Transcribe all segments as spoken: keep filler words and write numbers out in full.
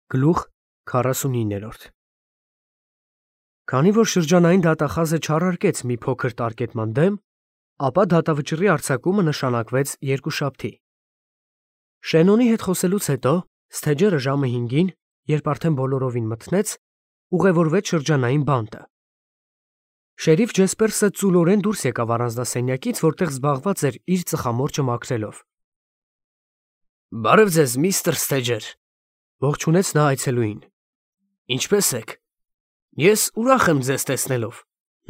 Գլուխ քառասունիններորդ Քանի որ շրջանային դատախազը չառարկեց մի փոքր տարկետման դեմ, ապա դատավճռի արձակումը նշանակվեց երկուշաբթի։ Շենոնի հետ խոսելուց հետո Սթեջերը ժամը հինգին, երբ արդեն բոլորովին մթնեց, ուղևորվեց շրջանային բանտը։ Շերիֆ Ջեսպերսը ծուլորեն դուրս եկավ առանձնասենյակից, որտեղ զբաղված էր իր ծխամորճը մաքրելով։ Բարև ձեզ, միստր Սթեջեր, ողջունեց նա այցելուին։ Ինչպե՞ս եք։ Ես ուրախ եմ ձեզ տեսնելով։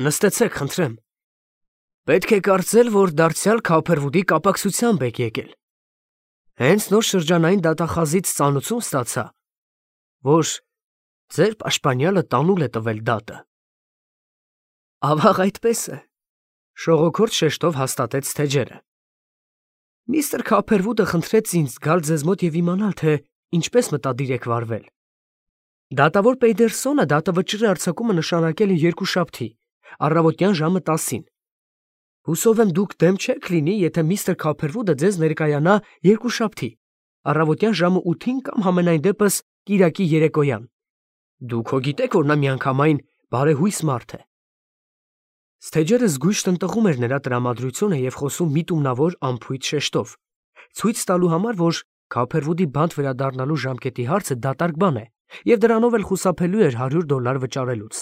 Նստեցեք, խնդրեմ։ Պետք է կարծել, որ դարձյալ Քափերվուդի կապակցությամբ եք եկել։ Հենց նոր շրջանային դատախազից ծանուցում ստացա, որ ձեր պաշտպանյալը տանուլ է տվել դատը։ Ավաղ այդպես է, շողոքորդ շեշտով հաստատեց Սթեջերը։ Միստր Քափերվուդը խնդրեց ինձ գալ ձեզ մոտ և իմանալ, թե ինչպես մտադիր եք վարվել։ Դատավոր Պեյդերսոնը դատավճռի արձակումը նշանակել է երկուշաբթի, առավոտյան ժամը տասին։ Հուսով եմ դուք դեմ չեք լինի, եթե միստր Քափերվուդը ձեզ ներկայանա երկուշաբթի, առավոտյան ժամը ութին կամ համենայն դեպս կիրակի երեկոյան։ Դուք հո գիտեք, որ նա միանգամայն բարեհույս մարդ է։ Սթեջերը զգույշ տնտղում էր նրա տրամադրությունը և խոսում միտումնավոր անփույթ շեշտով, ցույց տալու համար, որ Քափերվուդի բանտ վերադառնալու ժամկետի հարցը դատարկ բան է, և դրանով էլ խուսափելու էր հարյուր դոլար վճարելուց։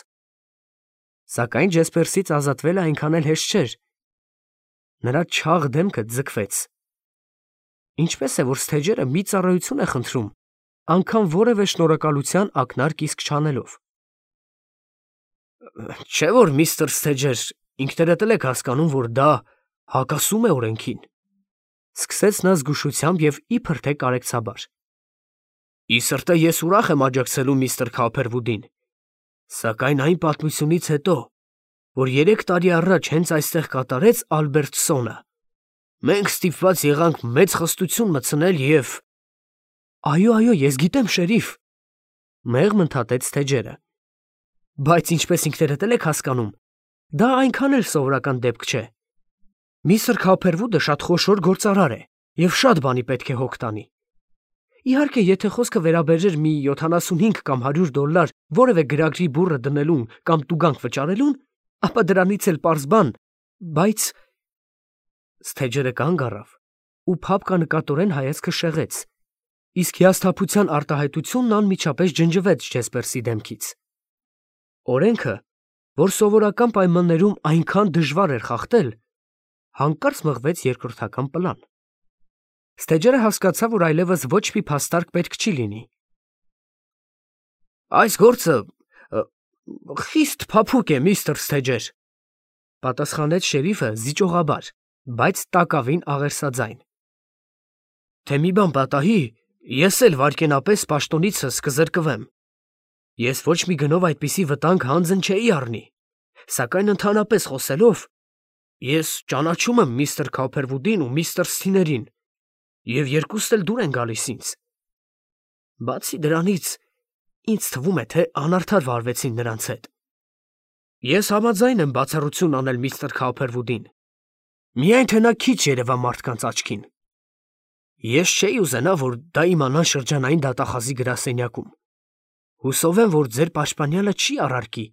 Սակայն Ջեսպերսից ազատվելը այնքան էլ հեշտ չէր։ Նրա չաղ դեմքը ձգվեց։ Ինչպես է, որ Սթեջերը մի ծառայություն է խնդրում, անգամ որևէ շնորհակալության ակնարկ իսկ չանելով։ Չէ՞ որ միստր Սթեջեր, ինքներդ էլ եք հասկանում, որ դա հակասում է օրենքին։ Սկսեց նա զգուշությամբ և իբր թե կարեկցաբար։ Ի սրտե ես ուրախ եմ աջակցելու միստր Քափերվուդին, սակայն այն պատմությունից հետո, որ երեք տարի առաջ հենց այստեղ կատարեց Ալբերտ Սոնը, մենք ստիպված եղանք մեծ խստություն մտցնել և… Այո, այո, ես գիտեմ, շերիֆ, մեղմ ընդհատեց Սթեջերը։ Բայց ինչպես ինքներդ էլ եք հասկանում, դա այնքան էլ սովորական դեպք չէ։ Միստր Քափերվուդը շատ խոշոր գործարար է և շատ բանի պետք է հոգ տանի։ Իհարկե, եթե խոսքը վերաբերեր մի յոթանասունհինգ կամ հարյուր դոլար որևէ գրագրի բուռը դնելուն կամ տուգանք վճարելուն, ապա դրանից էլ պարզ բան, բայց… Սթեջերը կանգ առավ ու փափկանկատորեն հայացքը շեղեց, իսկ հիասթափության արտահայտությունն անմիջապես ջնջվեց Ջեսպերսի դեմքից։ Օրենքը, որ սովորական պայմաններում այնքան դժվար էր խախտել, հանկարծ մղվեց երկրորդական պլան։ Սթեջերը հասկացավ, որ այլևս ոչ մի փաստարկ պետք չի լինի։ Այս գործը խիստ փափուկ է, միստր Սթեջեր, պատասխանեց շերիֆը զիջողաբար, բայց տակավին աղերսաձայն։ Թե մի բան պատահի, ես էլ վայրկենապես պաշտոնիցս կզրկվեմ։ Ես ոչ մի գնով այդպիսի վտանգ հանձն չէի առնի, սակայն ընդհանրապես խոսելով, ես ճանաչում եմ միստր Քափերվուդին ու միստր Սթիներին, և երկուստ էլ դուր են գալիս ինձ։ Բացի դրանից, ինձ թվում է, թե անարդար վարվեցին նրանց հետ։ Ես համաձայն եմ բացառություն անել միստր Քափերվուդին, միայն թե նա քիչ երևա մարդկանց աչքին։ Ես չէի ուզենա, որ դա իմանան շրջանային դատախազի գրասենյակում։ Հուսով եմ, որ ձեր պաշտպանյալը չի առարկի,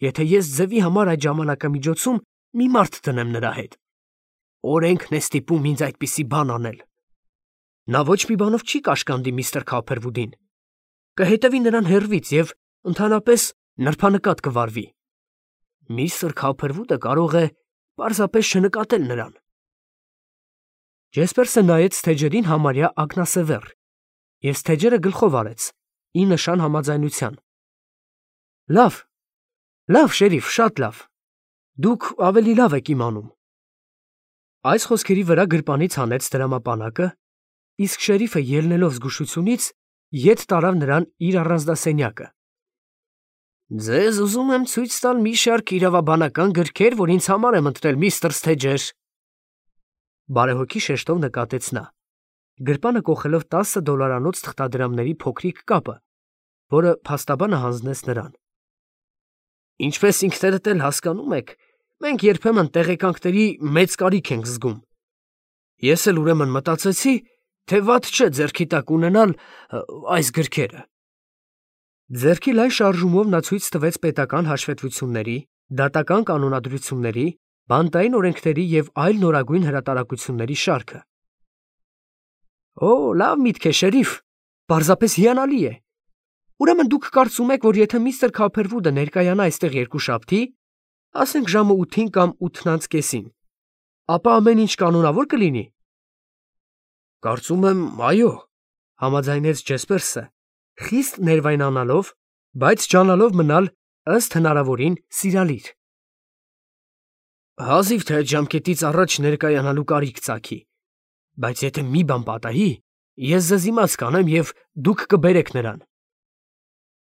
եթե ես ձևի համար այդ ժամանակամիջոցում մի մարդ դնեմ նրա հետ։ Օրենքն է ստիպում ինձ այդպիսի բան անել։ Նա ոչ մի բանով չի կաշկանդի միստր Քափերվուդին, կհետևի նրան հեռվից և ընդհանրապես նրբանկատ կվարվի։ Միստր Քափերվուդը կարող է պարզապես չնկատել նրան։ Ջեսպերսը նայեց Սթեջերին համարյա ակնասևեռ, և Սթեջերը գլխով արեց, ի նշան համաձայնության։ Լավ, լավ, շերիֆ, շատ լավ, դուք ավելի լավ եք իմանում։ Այս խոսքերի վրա գրպանից հանեց դրամապանակը, իսկ շերիֆը ելնելով զգուշությունից, ետ տարավ նրան իր առանձնասենյակը։ Ձեզ ուզում եմ ցույց տալ մի շարք իրավաբանական գրքեր, որ ինձ համար եմ ընտրել, միստր Սթեջեր, բարեհոգի շեշտով նկատեց նա, գրպանը կոխելով տասը դոլարանոց թղթադրամների փոքրիկ կապը, որը փաստաբանը հանձնեց նրան։ Ինչպես ինքներդ էլ հասկանում եք, մենք երբեմն տեղեկանքների մեծ կարիք ենք զգում։ Ես էլ ուրեմն մտածեցի, թե վատ չէ ձեռքի տակ ունենալ այս գրքերը։ Ձեռքի լայն շարժումով նա ցույց տվեց պետական հաշվետվությունների, դատական կանոնադրությունների, բանտային օրենքների և այլ նորագույն հրատարակությունների շարքը։ Օ, լավ միտք է, շերիֆ, պարզապես հիանալի է։ Ուրեմն դուք կարծում եք, որ եթե միստր Քափերվուդը ներկայանա այստեղ երկուշաբթի, ասենք ժամը ութին կամ ութն անց կեսին, ապա ամեն ինչ կանոնավոր կլինի։ Կարծում եմ, այո, համաձայնեց Ջեսպերսը, խիստ ներվայնանալով, բայց ջանալով մնալ ըստ հնարավորին սիրալիր։ Հազիվ թե այդ ժամկետից առաջ ներկայանալու կարիք ծագի, բայց եթե մի բան պատահի, ես ձեզ իմաց կանեմ և դուք կբերեք նրան։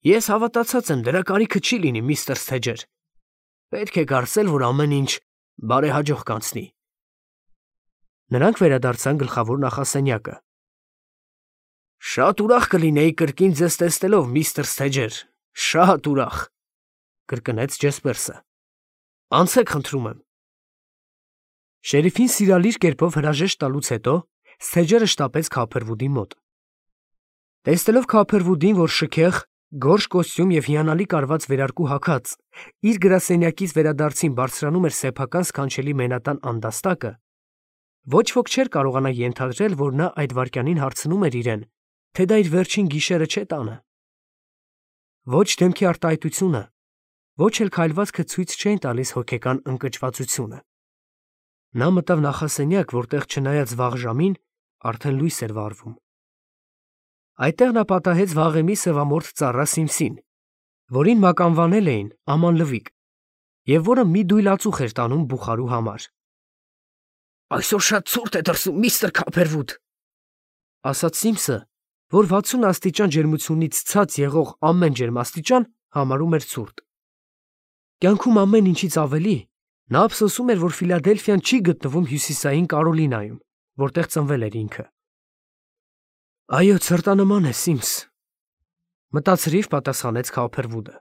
Ես հավատացած եմ, դրա կարիքը չի լինի, միստր Սթեջեր։ Պետք է կարծել, որ ամեն ինչ բարեհաջող կանցնի։ Նրանք վերադարձան գլխավոր նախասենյակը։ Շատ ուրախ կլինեի կրկին ձեզ տեսնելով, միստր Սթեջեր, շատ ուրախ, կրկնեց Ջեսպերսը։ Անցեք, խնդրում եմ։ Շերիֆին սիրալիր կերպով հրաժեշտ տալուց հետո Սթեջերը շտապեց Քափերվուդի մոտ։ Տեսնելով Քափերվուդին, որ շքեղ, գորշ կոստյում և հիանալի կարված վերարկու հագած, իր գրասենյակից վերադարձին բարձրանում էր սեփական սքանչելի մենատան անդաստակը, ոչ ոք չէր կարողանա ենթադրել, որ նա այդ վայրկյանին հարցնում էր իրեն, թե դա իր վերջին գիշերը չէ տանը։ Ոչ դեմքի արտահայտությունը, ոչ էլ քայլվածքը ցույց չէին տալիս հոգեկան ընկճվածությունը։ Նա մտավ նախասենյակ, որտեղ չնայած վաղ ժամին, արդեն լույս էր վառվում։ Այդտեղ նա պատահեց վաղեմի սևամորթ ծառա Սիմսին, որին մականվանել էին Աման Լվիկ, և որը մի դույլ ածուխ էր տանում բուխարու համար։ Այսօր շատ ցուրտ է դրսում, միստր Քափերվուդ, ասաց Սիմսը, որ վաթսուն աստիճան ջերմությունից ցած եղող ամեն ջերմաստիճան համարում էր ցուրտ։ Կյանքում ամեն ինչից ավելի նա ափսոսում էր, որ Ֆիլադելֆիան չի գտնվում հյուսիսային Կարոլինայում, որտեղ ծնվել էր ինքը։ Այո, ցրտանման է, Սիմս, մտածրիվ պատասխանեց Քափերվուդը։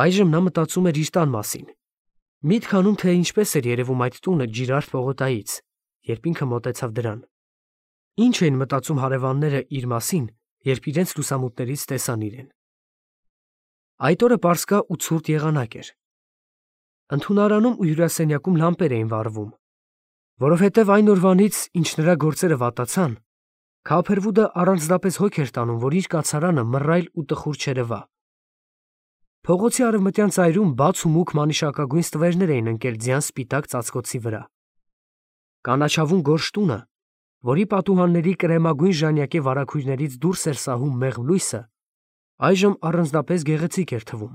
Այժմ նա մտածում էր իր տան մասին։ Միտք անում, թե ինչպես էր երևում այդ տունը Ջիրարդ պողոտայից, երբ ինքը մոտեցավ դրան։ Ինչ էին մտածում հարևանները իր մասին, երբ իրենց լուսամուտներից տեսան իրեն։ Այդ օրը պարսկա ու ցուրտ եղանակ էր։ Ընդունարանում ու հյուրասենյակում լամպեր էին վառվում, որովհետև այն օրվանից, ինչ նրա գործերը վատացան, Քափերվուդը առանձնապես հոգ էր տանում, որ իր կացարանը մռայլ ու տխուր չերևա։ Փողոցի արևմտյան ծայրում բաց ու մուգ մանիշակագույն ստվերներ էին ընկել ձյան սպիտակ ծածկոցի վրա։ Կանաչավուն գորշ տունը, որի պատուհանների կրեմագույն ժանյակե վարագույրներից դուրս էր սահում մեղմ լույսը, այժմ առանձնապես գեղեցիկ էր թվում։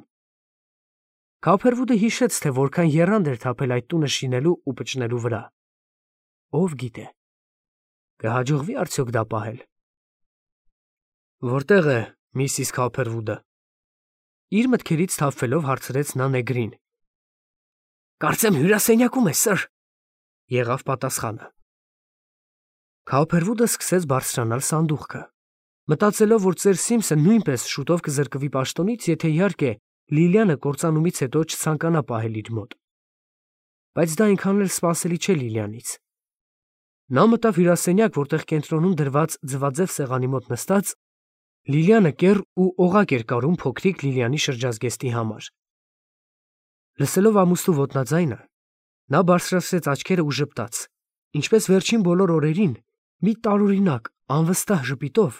Քափերվուդը հիշեց, թե որքան եռանդ էր թափել այդ տունը շինելու ու պճնելու վրա։ Ով գիտե, կհաջողվի արդյոք դա պահել։ Որտե՞ղ է միսիս Քափերվուդը։ Իր մտքերից թափվելով հարցրեց նա նեգրին։ Կարծեմ հյուրասենյակում է, սըր, եղավ պատասխանը։ Քափերվուդը սկսեց բարձրանալ սանդուղքը, մտածելով, որ ծեր Սիմսը նույնպես շուտով կզրկվի պաշտոնից, եթե իհարկե Լիլիանը կործանումից հետո չցանկանա պահել իր մոտ։ Բայց դա այնքան էլ սպասելի չէ Լիլիանից։ Նա մտավ հյուրասենյակ, որտեղ կենտրոնում դրված ձվաձև սեղանի մոտ նստած Լիլիանը կեռ ու օղակ էր կարում փոքրիկ Լիլիանի շրջազգեստի համար։ Լսելով ամուսնու ոտնաձայնը, նա բարձրացրեց աչքերը ու ժպտաց, ինչպես վերջին բոլոր օրերին, մի տարօրինակ, անվստահ ժպիտով,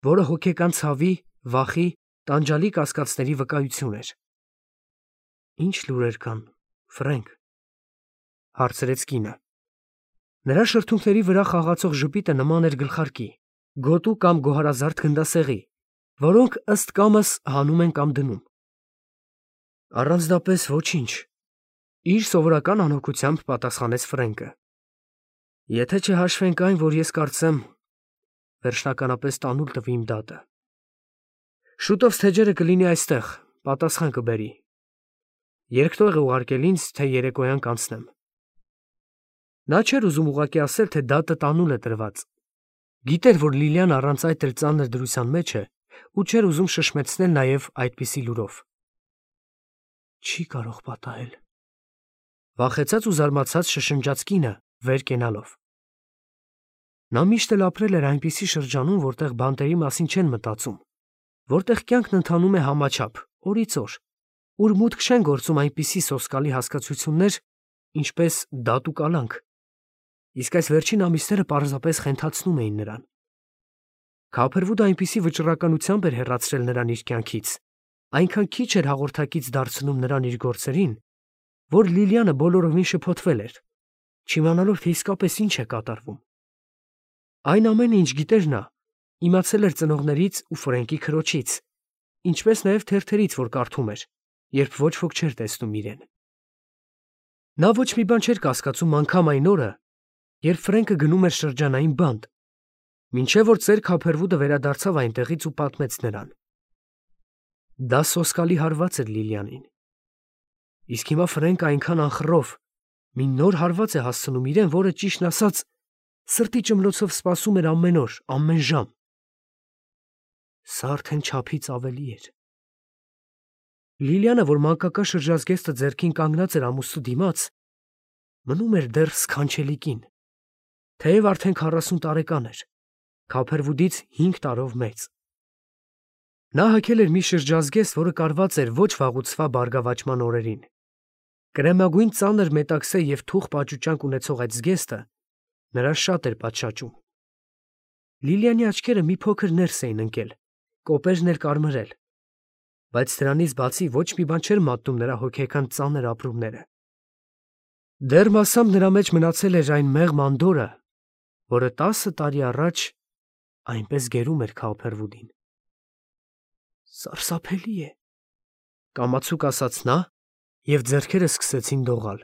որը հոգեկան ցավի, վախի, տանջալի կասկածների վկայություն էր։ Ինչ լուրեր կան, Ֆրենկ, հարցրեց կինը։ Նրա շրթունքների վրա խաղացող ժպիտը նման էր գլխարկի, գոտու կամ գոհարազարդ գնդասեղի, որոնք ըստ կամս հանում են կամ դնում։ Առանձնապես ոչինչ, իր սովորական անհոգությամբ պատասխանեց Ֆրենկը։ Եթե չհաշվենք այն, որ ես կարծեմ, վերջնականապես տանուլ տվի իմ դատը։ Շուտով Սթեջերը կլինի այստեղ, պատասխան կբերի։ Երկտող է ուղարկել ինձ, թե երեկոյան կանցնեմ։ Նա չէր ուզում ուղղակի ասել, թե դատը տանուլ է տրված։ Գիտեր, որ Լիլիան առանց այդ էլ ծանր դրության մեջ է, ու չէր ուզում շշմեցնել նաև այդպիսի լուրով։ Չի կարող պատահել։ Վախեցած ու զարմացած շշնջաց կինը, վեր կենալով։ Նա միշտ էլ ապրել էր այնպիսի շրջանում, որտեղ բանտերի մասին չեն մտածում, որտեղ կյանքն ընթանում է համաչափ, օրից օր, ուր մուտք չեն գործում այնպիսի սոսկալի հասկացություններ, ինչպես դատ ու կալանք, իսկ այս վերջին ամիսները պարզապես խենթացնում էին նրան։ Քափերվուդը այնպիսի վճռականությամբ էր հեռացրել նրան իր կյանքից, այնքան քիչ էր հաղորդակից դարձնում նրան իր գործերին, որ Լիլիանը բոլորովին շփոթվել էր, չիմանալով թե իսկապես ինչ է կատարվում։ Այն ամենը, ինչ գիտեր նա, իմացել էր ծնողներից ու Ֆրենկի քրոջից, ինչպես նաև թերթերից, որ կարդում էր, երբ ոչ ոք չէր տեսնում իրեն։ Նա ոչ մի բան չէր կասկածում անգամ այն օրը, երբ Ֆրենկը գնում էր շրջանային բանտ, մինչև որ ծեր Քափերվուդը վերադարձավ այնտեղից ու պատմեց նրան։ Դա սոսկալի հարված էր Լիլիանին։ Իսկ հիմա Ֆրենկը այնքան անխռով մի նոր հարված է հասցնում իրեն, որը ճիշտն ասած սրտի ճմլոցով սպասում էր ամեն օր, ամեն ժամ։ Սա արդեն չափից ավելի էր։ Լիլիանը, որ մանկական շրջազգեստը ձեռքին կանգնած էր ամուսնու դիմաց, մնում էր դեռ սքանչելի կին, թեև արդեն քառասուն տարեկան էր, Քափերվուդից հինգ տարով մեծ։ Նա հագել էր մի շրջազգեստ, որը կարված էր ոչ վաղուց բարգավաճման օրերին։ Կրեմագույն ծանր մետաքսե և թուխ պաճուճանք ունեցող այդ զգեստը նրան շատ էր պատշաճում։ Լիլիանի աչքերը մի փոքր ներս էին ընկել, կոպերն էր կարմրել, բայց դրանից բացի ոչ մի բան չէր մատնում նրա հոգեկան ծանր ապրումները։ Դեռ մասամբ նրա մեջ մնացել էր այն մեղմ անդորրը, որը տասը տարի առաջ այնպես գերում էր Քափերվուդին։ Սարսափելի է, կամացուկ ասաց նա, և ձեռքերը սկսեցին դողալ։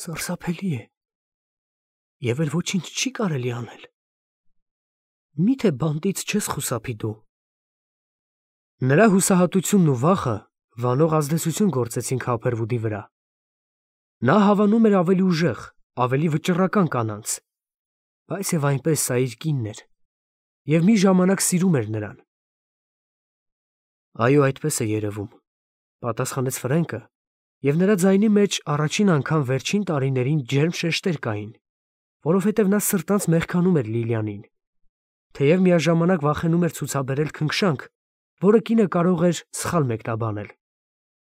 Սարսափելի է, և էլ ոչինչ չի կարելի անել։ Միթե բանտից չես խուսափի դու։ Նրա հուսահատությունն ու վախը վանող ազդեցություն գործեցին Քափերվուդի վրա։ Նա հավանում էր ավելի ուժեղ, ավելի վճռական կանանց, բայց և այնպես սա իր կինն էր, և մի ժամանակ սիրում էր նրան։ Այո, այդպես է երևում, պատասխանեց Ֆրենկը, և նրա ձայնի մեջ առաջին անգամ վերջին տարիներին ջերմ շեշտեր կային, որովհետև նա սրտանց մեղքանում էր Լիլիանին, թեև միաժամանակ վախենում էր ցուցաբերել քնքշանք, որը կինը կարող էր սխալ մեկնաբանել,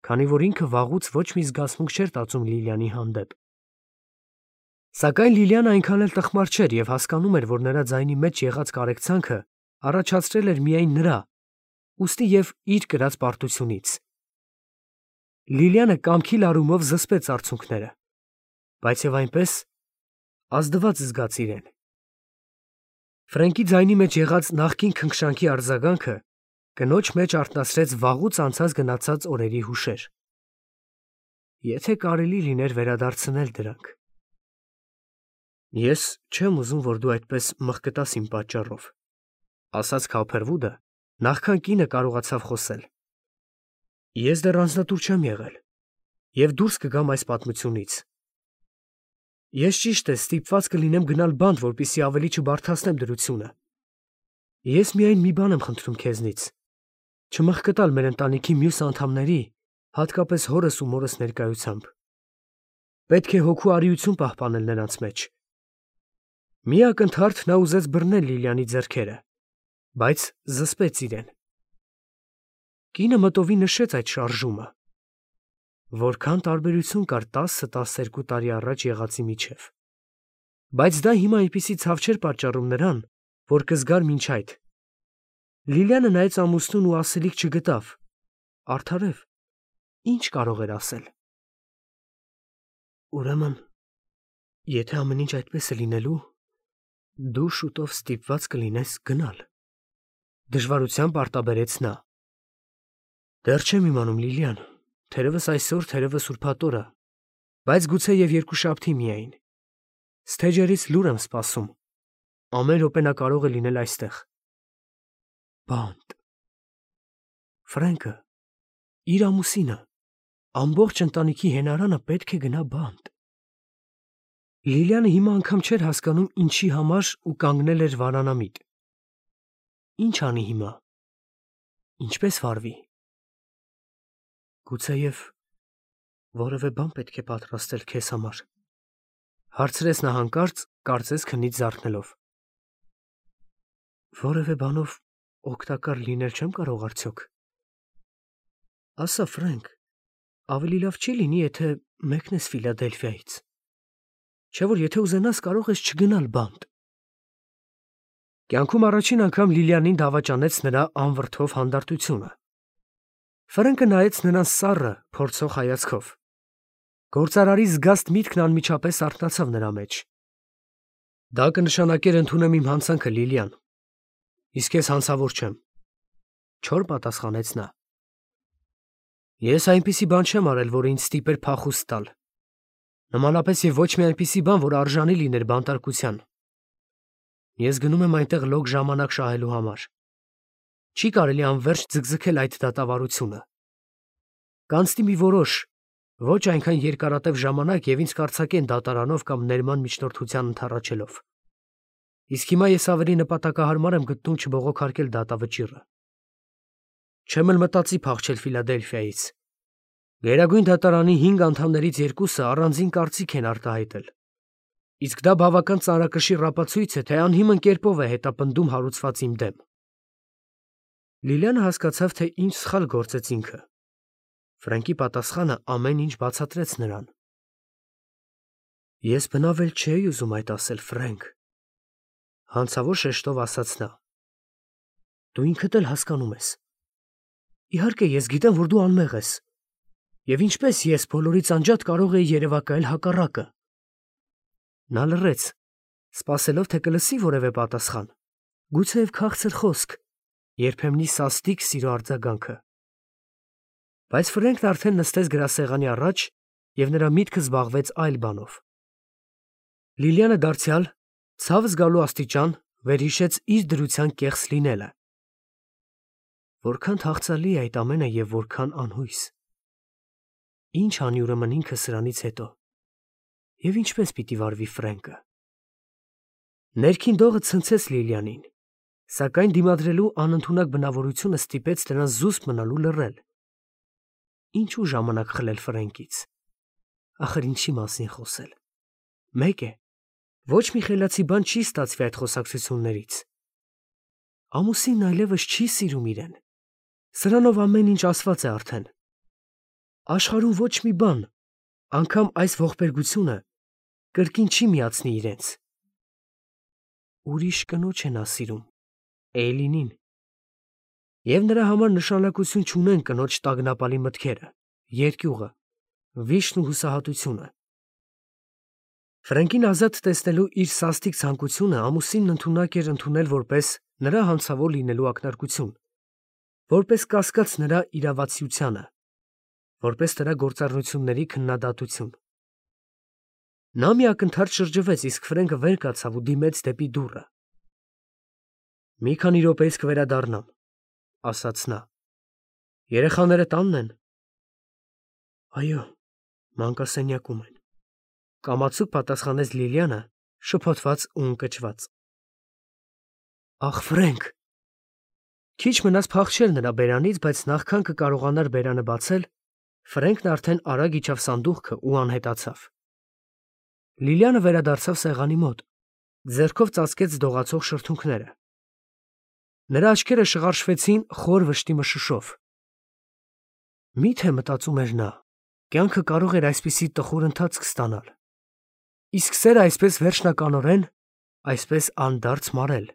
քանի որ ինքը վաղուց ոչ մի զգացմունք չէր տածում Լիլիանի հանդեպ։ Սակայն Լիլիանը այնքան էլ տխմար չէր և հասկանում էր, որ նրա ձայնի մեջ եղած կարեկցանքը առաջացրել էր միայն նրա, ուստի և իր կրած պարտությունից։ Լիլիանը կամքի լարումով զսպեց արցունքները, բայց և այնպես ազդված զգաց իրեն։ Ֆրենկի ձայնի մեջ եղած նախկին քնքշանքի արձագանքը կնոջ մեջ արթնացրեց վաղուց անցած գնացած օրերի հուշեր։ Եթե կարելի լիներ վերադարձնել դրանք։ Ես չեմ ուզում, որ դու այդպես մղկտաս իմ պատճառով, ասաց Քափերվուդը, նախքան կինը կարողացավ խոսել։ Ես դեռ անձնատուր չեմ եղել և դուրս կգամ այս պատմությունից։ Ես ճիշտ է ստիպված կլինեմ գնալ բանտ, որպեսզի ավելի չբարդացնեմ դրությունը։ Ես միայն մի բան եմ խնդրում քեզնից, չմղկտալ մեր ընտանիքի մյուս անդամների, հատկապես հորս ու մորս ներկայությամբ։ Պետք է հոգու արիություն պահպանել նրանց մեջ։ Մի ակնթարթ նա ուզեց բռնել Լիլիանի ձեռքերը, բայց զսպեց իրեն։ Կինը մտովի նշեց այդ շարժումը։ Որքան տարբերություն կար տասը֊տասներկու տարի առաջ եղածի միջև։ Բայց դա հիմա այնպիսի ցավ չէր պատճառում նրան, որ կզգար մինչ այդ։ Լիլիանը նայեց ամուսնուն ու ասելիք չգտավ։ Արդարև, ինչ կարող էր ասել։ Ուրեմն, եթե ամեն ինչ այդպես է լինելու, դու շուտով ստիպված կլինես գնալ, դժվարությամբ արտաբերեց նա։ Դեռ չեմ իմանում, Լիլիան, թերևս այսօր, թերևս ուրբաթ օրը, բայց գուցե և երկուշաբթի միայն։ Սթեջերից լուր եմ սպասում։ Ամեն րոպե նա կարող է լինել այստեղ։ Բանտ։ Ֆրենկը, իր ամուսինը, ամբողջ ընտանիքի հենարանը պետք է գնա բանտ։ Լիլիանը հիմա անգամ չէր հասկանում ինչի համար ու կանգնել էր վարանամիտ։ Ինչ անի հիմա։ Ինչպես վարվի։ Գուցեև որևէ բան պետք է պատրաստել քեզ համար, հարցրեց նա հանկարծ, կարծես քնից զարթնելով։ Որևէ բանով օգտակար լինել չեմ կարող արդյոք։ Ասա Ֆրենկ, ավելի լավ չի լինի, եթե մեկնես Ֆիլադելֆիայից։ Չէ՞ որ եթե ուզենաս կարող ես չգնալ բանտ։ Կյանքում առաջին անգամ Լիլիանին դավաճանեց նրա անվրդով հանդարտությունը։ Ֆրենկը նայեց նրան սառը, փորձող հայացքով։ Գործարարի զգաստ միտքն անմիջապես արթնացավ նրա մեջ։ Դա կնշանակեր ընդունեմ իմ հանցանքը, Լիլիան, իսկ ես հանցավոր չեմ, չոր պատասխանեց նա։ Ես այնպիսի բան չեմ արել, որը ինձ ստիպեր փախուստ տալ։ Նմանապես եւ ոչ մի այնպիսի բան, որ արժանի լիներ բանտարկության։ Ես գնում եմ այնտեղ լոկ ժամանակ շահելու համար։ Չի կարելի անverջ ձգձգել այդ դատավարությունը։ Կանցնի մի որոշ, ոչ այնքան երկարատև ժամանակ եւ ինձ կարծակեն դատարանով կամ ներման միջնորդության ընթառաջելով։ Իսկ հիմա ես ավելի նպատակահարմար եմ գտնում չբողոքարկել դատավճիռը։ Չեմ էլ մտածի փախչել Ֆիլադելֆիայից։ Գերագույն դատարանի հինգ անդամներից երկուսը առանձին կարծիք են արտահայտել։ Իսկ դա բավական ծանրակշիռ ապացույց է, թե անհիմն կերպով է հետապնդում հարուցված իմ դեմ։ Լիլիանը հասկացավ, թե ինչ սխալ գործեց ինքը։ Ֆրենկի պատասխանը ամեն ինչ բացատրեց նրան։ Ես բնավ էլ չէի ուզում այդ ասել, Ֆրենկ, հանցավոր շեշտով ասաց նա։ Դու ինքդ էլ հասկանում ես։ Իհարկե, ես գիտեմ, որ դու անմեղ ես։ Եվ ինչպես ես բոլորից անջատ կարող էի երևակայել հակառակը։ Նա լռեց, սպասելով, թե կլսի որևէ պատասխան, գուցեև քաղցր խոսք, երբեմնի սաստիկ սիրո արձագանքը։ Բայց Ֆրենկն արդեն նստեց գրասեղանի առաջ, և նրա միտքը զբաղվեց այլ բանով։ Լիլիանը դարձյալ, ցավ զգալու աստիճան, վերհիշեց իր դրության կեղծ լինելը։ Որքան թախծալի է այդ ամենը և որքան անհույս։ Ինչ անի ուրեմն ինքը սրանից հետո։ Եվ ինչպես պիտի վարվի Ֆրենկը։ Ներքին դողը ցնցեց Լիլիանին, սակայն դիմադրելու անընդունակ բնավորությունը ստիպեց նրան զուսպ մնալու լռել։ Ինչու ժամանակ խլել Ֆրենկից։ Ախր ինչի մասին խոսել։ Մեկ է, ոչ մի խելացի բան չի ստացվի այդ խոսակցություններից։ Ամուսինն այլևս չի սիրում իրեն։ Սրանով ամեն ինչ ասված է արդեն։ Աշխարհում ոչ մի բան, անգամ այս ողբերգությունը, կրկին չի միացնի իրենց։ Ուրիշ կնոջ է նա սիրում, Էյլինին։ Եվ նրա համար նշանակություն չունեն կնոջ տագնապալի մտքերը, երկյուղը, վիշտն ու հուսահատությունը։ Ֆրենկին ազատ տեսնելու իր սաստիկ ցանկությունը ամուսինն ընդունակ էր ընդունել որպես նրա հանցավոր լինելու ակնարկություն, որպես կասկած նրա իրավացիությանը, որպես նրա գործառնությունների քննադատություն։ Նա մի ակնթարթ շրջվեց, իսկ Ֆրենկը վեր կացավ ու դիմեց դեպի դուռը։ Մի քանի րոպեից կվերադառնամ, ասաց նա։ Երեխաները տանն են։ Այո, մանկասենյակում են, կամացուկ պատասխանեց Լիլիանը, շփոթված ու ընկճված։ Ախ, Ֆրենկ։ Քիչ մնաց փախչել նրա բերանից, բայց նախքան կկարողանար բերանը բացել, Ֆրենկն արդեն արագ իջավ սանդուղքը ու անհետացավ։ Լիլիանը վերադարձավ սեղանի մոտ, ձեռքով ծածկեց դողացող շրթունքները։ Նրա աչքերը շղարշվեցին խոր վշտի մշուշով։ Միթե մտածում էր նա, կյանքը կարող էր այսպիսի տխուր ընթացք ստանալ։ Իսկ սերը այսպես վերջնականորեն, այսպես անդարձ մարել։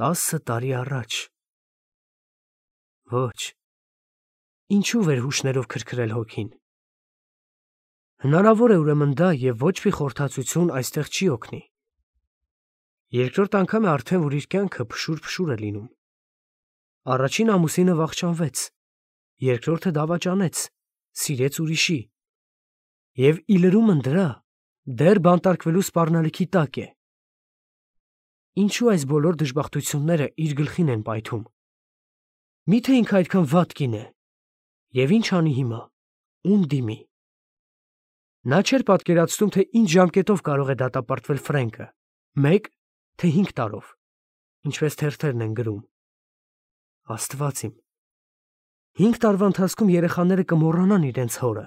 Տասը տարի առաջ։ Ոչ, ինչու վեր հուշներով քրքրել հոգին։ Հնարավոր է ուրեմն դա և ոչ մի խորհրդածություն այստեղ չի օգնի։ Երկրորդ անգամ է արդեն, որ իր կյանքը փշուր-փշուր է լինում։ Առաջին ամուսինը վախճանվեց, երկրորդը դավաճանեց, սիրեց ուրիշի։ Եվ ի լրումն դրա, դեռ բանտարկվելու սպառնալիքի տակ է։ Ինչու այս բոլոր դժբախտությունները իր գլխին են պայթում։ Միթե ինքը այդքան վատ կին է։ Եվ ինչ անի հիմա, ում դիմի։ Նա չէր պատկերացնում, թե ինչ ժամկետով կարող է դատապարտվել Ֆրենկը, մեկ, թե հինգ տարով, ինչպես թերթերն են գրում։ Աստված իմ։ Հինգ տարվա ընթացքում երեխաները կմոռանան իրենց հորը։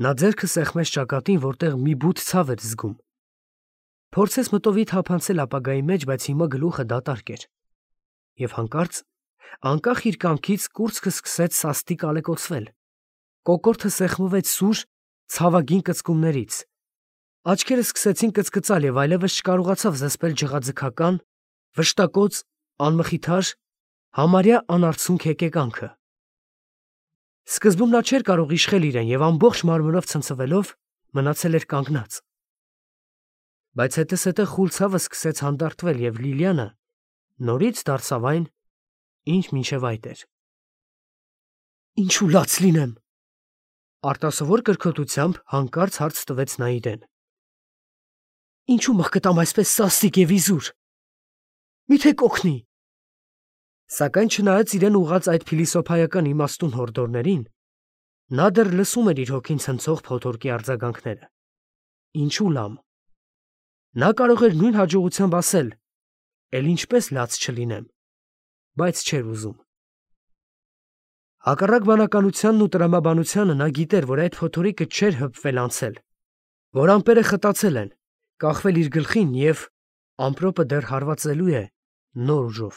Նա ձեռքը սեղմեց ճակատին, որտեղ մի բութ ցավ էր զգում։ Փորձեց մտովի թափանցել ապագայի մեջ, բայց հիմա գլուխը դատարկ էր, և հանկարծ, անկախ իր կամքից կուրծքը սկսեց սաստիկ ալեկոծվել, կոկորդը սեղմվեց սուր, ցավագին կծկումներից, աչքերը սկսեցին կծկծալ և այլևս չկարողացավ զսպել ջղաձգական, վշտակոծ, անմխիթար, համարյա անարցունք հեկեկանքը։ Սկզբում նա չէր կարող իշխել իրեն և ամբողջ մարմնով ցնցվելով մնացել էր կանգնած։ Բայց հետզհետե խուլ ցավը սկսեց հանդարտվել և Լիլիանը նորից դարձավ այն, ինչ մինչև այդ էր։ «Ինչու լաց լինեմ», արտասովոր կրքոտությամբ հանկարծ հարց տվեց նա իրեն։ «Ինչու մղկտամ այսպես սաստիկ և իզուր։ Մի՞թե կօգնի»։ Սակայն չնայած իրեն ուղղած այդ փիլիսոփայական իմաստուն հորդորներին, նա դեռ լսում էր իր հոգին ցնցող փոթորկի արձագանքները։ Ինչու լամ։ Նա կարող էր նույն հաջողությամբ ասել. «Էլ ինչպես լաց չլինեմ», բայց չէր ուզում։ Հակառակ բանականությանն ու տրամաբանությանը նա գիտեր, որ այդ փոթորիկը չէր հպվել անցել, որ ամպերը խտացել են, կախվել իր գլխին և ամպրոպը դեռ հարվածելու է նոր ուժով։